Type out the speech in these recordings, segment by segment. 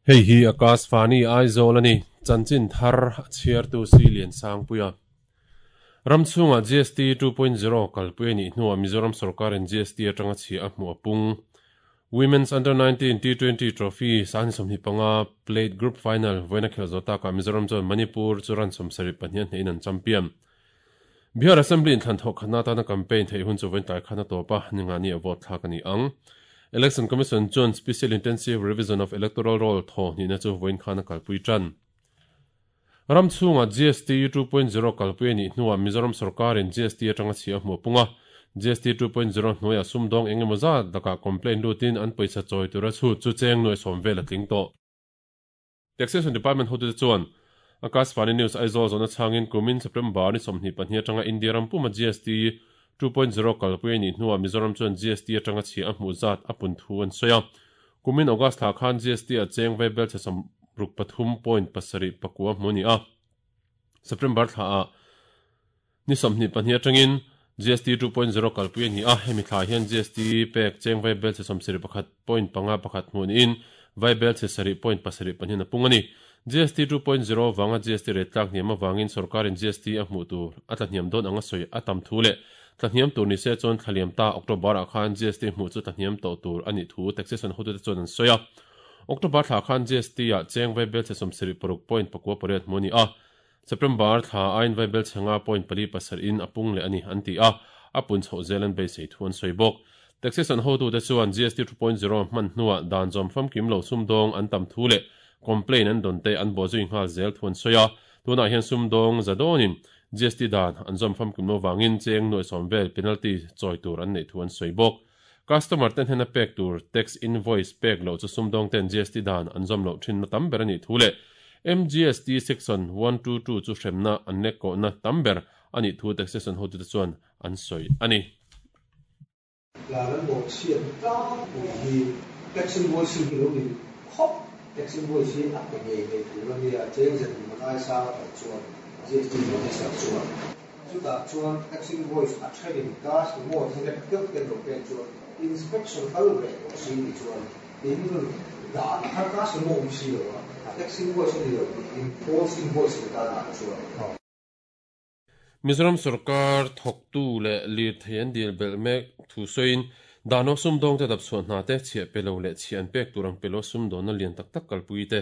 Hei hi Akashvani Aizawl a ni, chanchin thar a chhiartu si Liansangpuia. Ram chhungah GST 2.0 kalpui a nih hnuah Mizoram sorkarin GST atanga chhia a hmuh a pung. Women's Under 19 T20 Trophy 2025 Plate Group Final vawiina khelh zawh takah Mizoram chuan Manipur chu run 72 a hnehin an champion. Bihar Assembly inthlan thawh khatna atana campaign theih hun chu vawiin tlai khan a tawp a, ningani a vote thlak a ni ang. Election Commission chuan Special Intensive Revision of Electoral Roll thaw hnihna chu vawiin khan a kalpui tan. Ram chhungah GST 2.0 kalpui a nih hnuah Mizoram sorkarin GST atanga chhia a hmuh a pung a. GST 2.0 hnuaiah sumdawng eng emaw zat lakah complaint lutin an pawisa chawi tura chhut chu cheng nuai sawm vel a tling tawh. Taxation Department hotute chuan Akashvani News Aizawl zawhna chhangin kumin September ni 22 atanga India ram puma GST 2.0 kalpui a nih hnuah Mizoram chuan GST atanga chhia a hmuh zat a pun thu an sawi a. Kumin August thla khan GST ah cheng vaibel chhe 63.79 hmu a ni a. September thla ah ni 22 atangin GST 2.0 kalpui a ni a, hemi thla hian GST pek cheng vaibel chhe 71.51 hmuh niin vaibel chhe 7.72 a pung a ni. GST 2.0 vanga GST rate tlak hniam avangin sorkarin GST a hmuh tur a tlahniam dawn anga sawi a tam thu leh tlahniam tur ni se chuan thlaliam ta October ah khan GST hmuh chu tlahniam tawh tur a nih thu taxation hotute chuan an sawi a. October thla khan GST ah cheng vaibel chhe 76.98 hmuh a ni a, September thla aiin vaibel chhe 9.47 in a pung leh a ni an ti a, a pun chhoh zel an beisei thu an sawi bawk. Taxation hotute chuan GST 2.0 hman hnuah dan zawm famkim lo sumdawng an tam thu leh complaint an dawn te an bawhzui nghal zel thu an sawi a, tunah hian sumdawng za dawnin GST dan an zawm famkim lo vangin cheng nuai sawm vel penalty chawi tur an neih thu an sawi bawk. Customer te hnena pek tur tax invoice pek loh chu sumdawng ten GST dan an zawm loh thinna tam ber a nih thu leh MGST Section 122 chu hremna an lek kawhna tam ber a nih thu taxation hotute chuan an sawi a ni. Dan an bawh chhiat tlangpui hi tax invoicing hi lo ni khawp. Tax invoice hi a pe ngei ngei tur a nia, cheng ze tum man ai sang a kal chuan GST notice ah chuan. Chutah chuan tax invoice a thenin cash emaw thilek deuh te lo pek chuan inspection kal ve tawh si ni chuan in dan kha cash emaw awm si lo a, tax invoice a ni lo tiin false invoice ni ta dan chuan. Mizoram sorkar thawktu leh lirthei an dil belh mek thu sawiin Dano sumdawngte dapchhuah hna te chhiah pe lo leh chhiah an pek tur ang pe lo sumdawnna lian tak tak kalpui te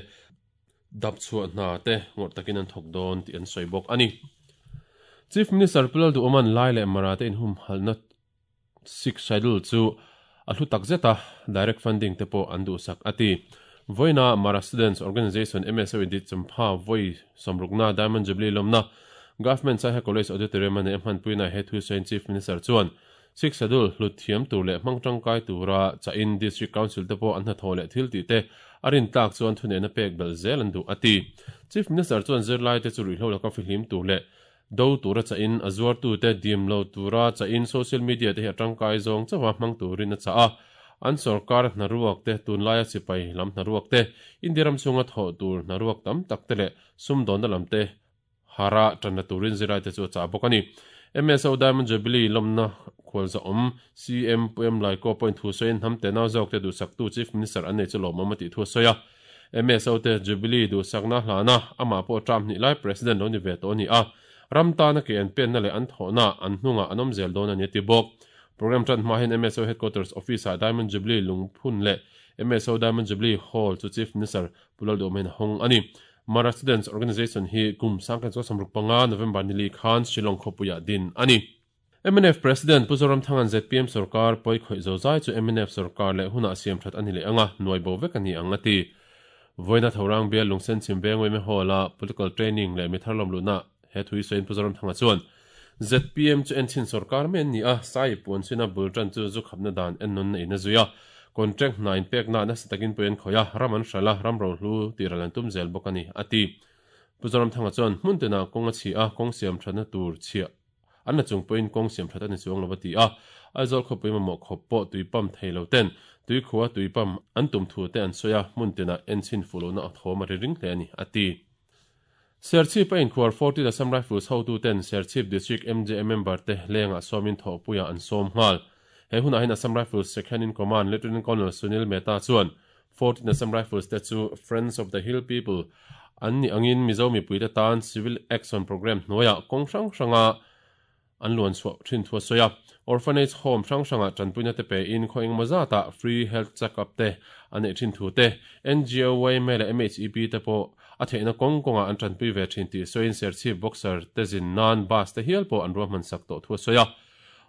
dapchhuah hna te ngawrh takin an thawk dawn tih an sawi bawk a ni. Chief Minister Pu Lalduhawma'n Lai leh Mara te inhumhalhna Sixth Schedule chu a hlu tak zet a, direct funding te pawh an duhsak a ti. Vawiina Mara Students Organisation MSO in Ditchampha vawi sawmrukna Diamond Jubilee lawmna Government Saiha College Auditorium a neih a hmanpuina he thu sawiin Chief Minister chuan Sixth Schedule hlut thiam tur leh hmang tangkai tura chahin District Council te pawh an hnathawh leh thil tih te a rintlak chuan thuneihna pek belh zel an duh a ti. Chief Minister chuan zirlaite chu ruihhlo laka fihlim tur leh Do tura chahin a zuartute dim lo tura chahin social media te hi a tangkai zawng chauha hmang turin a chah a. An sorkar hnaruak te, tunlaia sipai lam hnaruak te, India ram chhunga thawh tur hnaruak tam tak te leh sumdawnna lam te hara tanna turin zirlaite chu a chah bawk a ni. MSO Diamond Jubilee lawmna khualzahawm CM Pu M Laiko pawhin thu sawiin hnam tenau zawkte duhsaktu Chief Minister an nei chu lawmawm a tih thu a sawi a. MSO te Jubilee duhsakna hlana amah pawh term hnih lai President lo ni ve tawh a ni a, ram tana ke an penna leh an thawhna an hnungah an awm zel dawn a ni a ti bawk. Programme tan hma hian MSO Headquarters Office-ah Diamond Jubilee lungphun leh MSO Diamond Jubilee Hall chu Chief Minister Pu Lalduhawma hian a hawng a ni. Mara Students Organisation hi kum 1965 November nili khan Shillong khawpuiah din a ni. Mnf President Pu Zoramthanga'n zpm sorkar pawi khawih zo zai chu mnf sorkar leh hunah siam that a ni leh ang a, nuai bo vek a ni ang a ti. Vawiina Thorang bial Lungsen chhim veng Weme Hall-a Political Training leh Mithar lawmluhna he thu i sawiin Pu Zoramthanga chuan, zpm chu enchin sorkar mai an ni a, Sai puan chhina bul tan chu zu khapna dan ennawn na in a zui a, contract hna inpekna nasa takin pawi an khawih a, ram an hralh a, ram rohlu tihral an tum zel bawk a ni, a ti. Pu Zoramthanga chuan, hmun tinah kawng a chhi a, kawng siam thatna tur chhiah An la chung pawhin kawng siam that a ni chuang lo a ti a, Aizawl khawpui mamawh khawp pawh tui pump thei lo ten tui khua tui pump an tum thu te an sawi a, hmun tinah enchhin fuh lohna a thawm a ri ring hle a ni, a ti. Serchhip a inkhuar 14 Assam Rifles hotuten Serchhip District MJA member te lengah sawmin thawhpuiah an sawm nghal. He hunah hian Assam Rifles Second in Command Lieutenant Colonel Sunil Mehta chuan 14 Assam Rifles te chu Friends of the Hill People an nih angin Mizo mipuite tan Civil Action Programme hnuaiah kawng hrang hranga an luan chhuah thin thu a sawi a. Orphanage Home hrang hrangah tanpuina te pein khaw engemaw zatah free health check up te a neih thin thu te, NGO, yma leh MHEP te pawh a theihna kawng kawngah an tanpui ve thin tih sawiin Serchhip Boxer te zin nan bus te hial pawh an ruahman sak tawh thu a sawi a.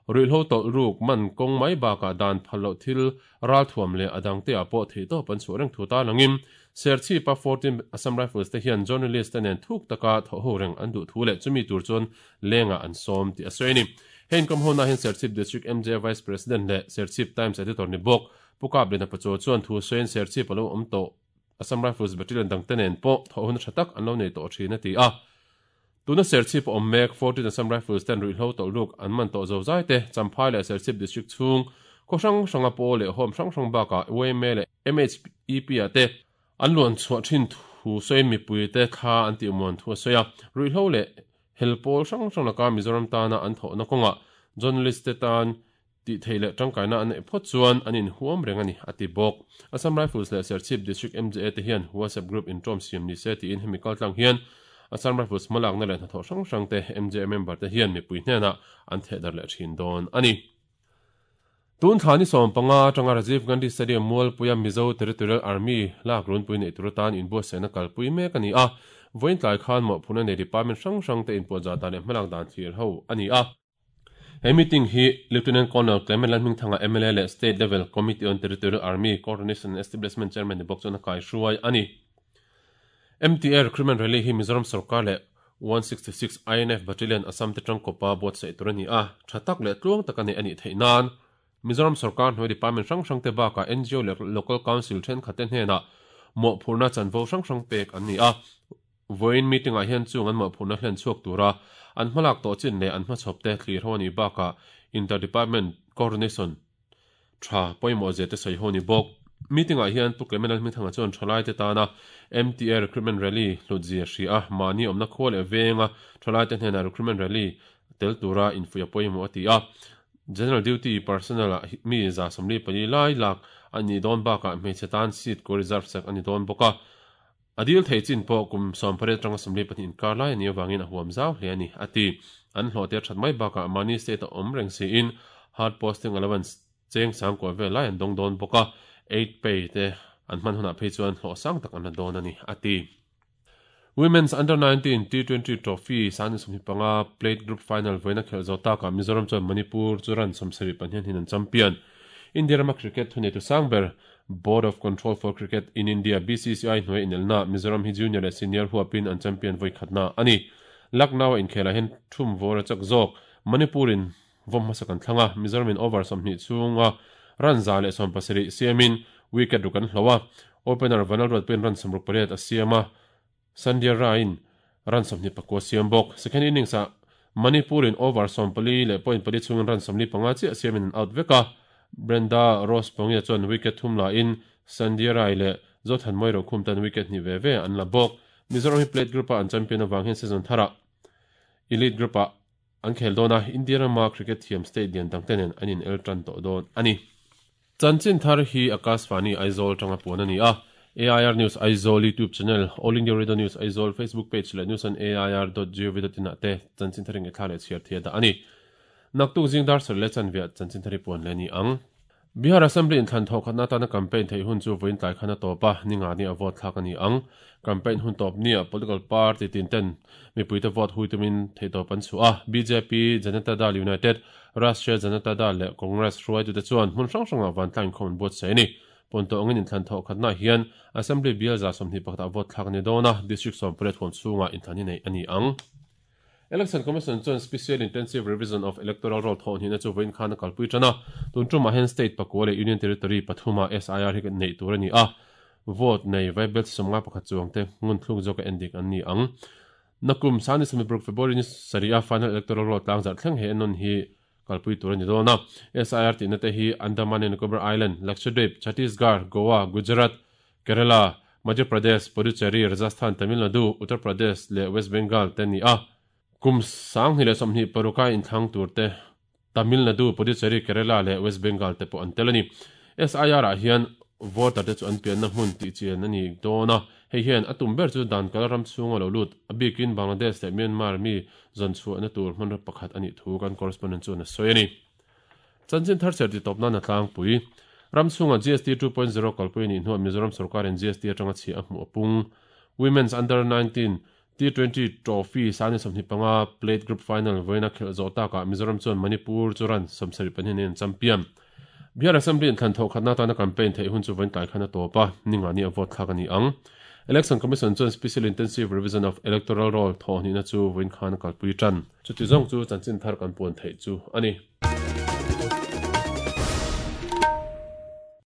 Ruihhlo tawlh ruk man kawng mai bakah dan phal loh thil ralthuam leh a dangte ah pawh theihtawp an chhuah reng thu ta langin Serchhipa 14 Assam Rifles te hian journalist te nen thuk taka thawhho reng an duh thu leh chumi tur chuan lengah an sawm tih a sawi a ni. He inkawm hona hian Serchhip District MJ Vice President leh Serchhip Times Editor ni bawk Pu Kaplina Pachuau chuan thu sawiin Serchhip a lo awm tawh Assam Rifles Battalion dangte nen pawh thawhhona tha tak an lo nei tawh thin a ti a. Tuna Serchhip a awm mek 14 Assam Rifles ten ruihhlo tawlh ruk an man tawh zo zai te, Champhai leh Serchhip District chhung khaw hrang hranga pawl leh home hrang hrang bakah yma leh MHEP ah te an luan chhuah thin thu sawiin mipui te thla an tih muan thu a sawi a. Ruihhlo leh hel pawl hrang hrang laka Mizoram tana an thawhna kawngah journalist te tan Tih theih leh tangkaina an neih phawt chuan an inhuam reng a ni, a ti bawk. Assam Rifles leh Serchhip District MJA te hian WhatsApp group intawm siam ni se tiin hemi kaltlang hian Assam Rifles hmalakna leh hnathawh hrang hrang te MJA member te hian mipui hnenah an thehdarh leh thin dawn a ni. Tun thla ni 15 atanga Rajiv Gandhi Stadium Mualpuia Mizo Territorial Army lak runpui neih tur atan inbuatsaihna kalpui mek a ni a, vawiin tlai khan mawhphurhna nei department hrang hrang te inpuahzah dan leh hmalak dan thlir ho a ni a. He meeting hi Lieutenant Colonel Clement Lalhmingthanga mla leh State Level Committee on Territorial Army Coordination and Establishment Chairman ni bawk chuan a kaihruai a ni. MTA Recruitment Rally hi Mizoram sorkar leh 166 INF Battalion Assam te tangkawpa buatsaih tur a ni a, tha tak leh tluang taka neih a nih theih nan Mizoram sorkar hnuai department hrang hrangte bakah ngo leh Local Council thenkhatte hnenah mawhphurhna chanvo hrang hrang pek an ni a. Vawiin meeting-ah hian chung an mawhphurhna hlen chhuak tura an hmalak tawh chin leh an hmachhawp te thlir ho a nih bakah Inter-Department Coordination tha pawimawh zia te sawi ho a ni bawk. Meeting-ah hian Pu Clement Lalhmingthanga chuan thalaite tana MTA Recruitment Rally hlut zia hria a, mahni awmna khua leh venga thalaite hnenah Recruitment Rally tel tura infuih a pawimawh a ti a. General Duty Personnel-ah mi 144 lai lak a nih dawn bakah hmeichhe tan seat ko reserve sak a ni dawn bawk a. A dil thei chin pawh kum 18 atanga 42 inkar lai a nih avangin a huam zau hle a ni, a ti. An hlawhte a that mai bakah mahni state a awm reng siin hard posting allowance cheng sang kuah vel lai an dawng dawn bawk a, aid pay te an hman hunah phei chuan hlawh sang tak an la dawn a ni, a ti. Women's Under 19 T20 Trophy 2025 Plate Group Final vawiina khelh zawh takah Mizoram chuan Manipur chu run 72 in an champion. India rama cricket thuneitu sang ber Board of Control for Cricket in India, BCCI, hnuai inelna Mizoram hi junior leh senior huapin an champion vawi khatna a ni. Lucknow-a inkhelah hian thum vawr a chak zawk. Manipur-in vawm hmasa kan thlang a, Mizoram-in over 20 chhunga run 117 siamin wicket ruk an hloh a. Opener Vanal Ruatpuiin run 68 a siam a, Sandhya Rai-in run 29 a siam bawk. Second innings-ah Manipur-in over 14 leh point pali chhungin run 45 chiah siamin an out vek a. Brenda Rose Pongia chuan wicket thum lahin Sandhya Rai leh Zothanmawii Rokhum tan wicket hnih ve ve an la bawk. Mizoram hi Plate Group-a an champion avang hian season tharah Elite Group-ah an khel dawn a, India rama cricket thiam state lian dangte nen an inel tan tawh dawn a ni. Chanchin thar hi Akashvani Aizawl tanga puan a ni a, AIR News Aizawl YouTube channel, All India Radio News Aizawl Facebook page leh news on air dot gov dot in ah te chanchin thar inngaihthlak leh chhiar thei a dah a ni. Naktuk zing dar sarh leh chanveah chanchin thar hi puan leh a ni ang. Bihar Assembly inthlan thawh khatna atana campaign theih hun chu vawiin tlai khan a tawp a, ninga ni a vote thlak a ni ang. Campaign hun tawp nia political party tin ten mipuite vote hui tumin theihtawp an chhuah a, bjp, Janata Dal United, Rashtriya Janata Dal leh Congress hruaitute chuan hmun hrang hrangah vantlang inkhawm an buatsaih a ni. Pawnto angin inthlan thawh khatnaah hian Assembly bial 21 ah vote thlak a ni dawn a, District 18 huam chhungah inthlan hi neih a ni ang. Election Commission chuan Special Intensive Revision of Electoral Roll thawhhnihna chu vawiin khan a kalpui tan a, tun tumah hian State pakua leh Union Territory pathumah SIR hi neih tur a ni a, vote nei vaibelchhe 51 chuangte ngun thluk zawka endik an ni ang. Nakum Sani Samibruk February ni sarih a Final Electoral Roll tlangzarh thleng he ennawn hi kalpui tur a ni dawn a. SIR tihna te hi Andaman and Nicobar Island, Lakshadweep, Chhattisgarh, Goa, Gujarat, Kerala, Madhya Pradesh, Puducherry, Rajasthan, Tamil Nadu, Uttar Pradesh leh West Bengal te an ni a. Kum 2026 a inthlang tur te Tamil Nadu, Puducherry, Kerala leh West Bengal te pawh an tel a ni. SIR ah hian voter te chu an pianna hmun tih chian a ni dawn a, hei hian a tum ber chu dan kal ram chhunga lo lut, a bikin Bangladesh leh Myanmar mi zawn chhuahna tur hmanraw pakhat a nih thu kan correspondent chuan a sawi a ni. Chanchin thar chher titawp nan a tlangpui. Ram chhunga GST 2.0 kalpui a nih hnuah Mizoram sorkarin GST atanga chhiah a hmuh a pung. Women's Under 19 T20 Trophy 25 Plate Group Final vawiina khelh zawh takah Mizoram chuan Manipur chu run 72 in an champion. Bihar Assembly inthlan thawh khatna atana campaign theih hun chu vawiin tlai khan a tawp a, ninga ni a vote thlak a ni ang. Election Commission chuan Special Intensive Revision of Electoral Roll thawh hnihna chu vawiin khan a kalpui tan. Chuti zawng chu chanchin thar kan puan theih chu a ni.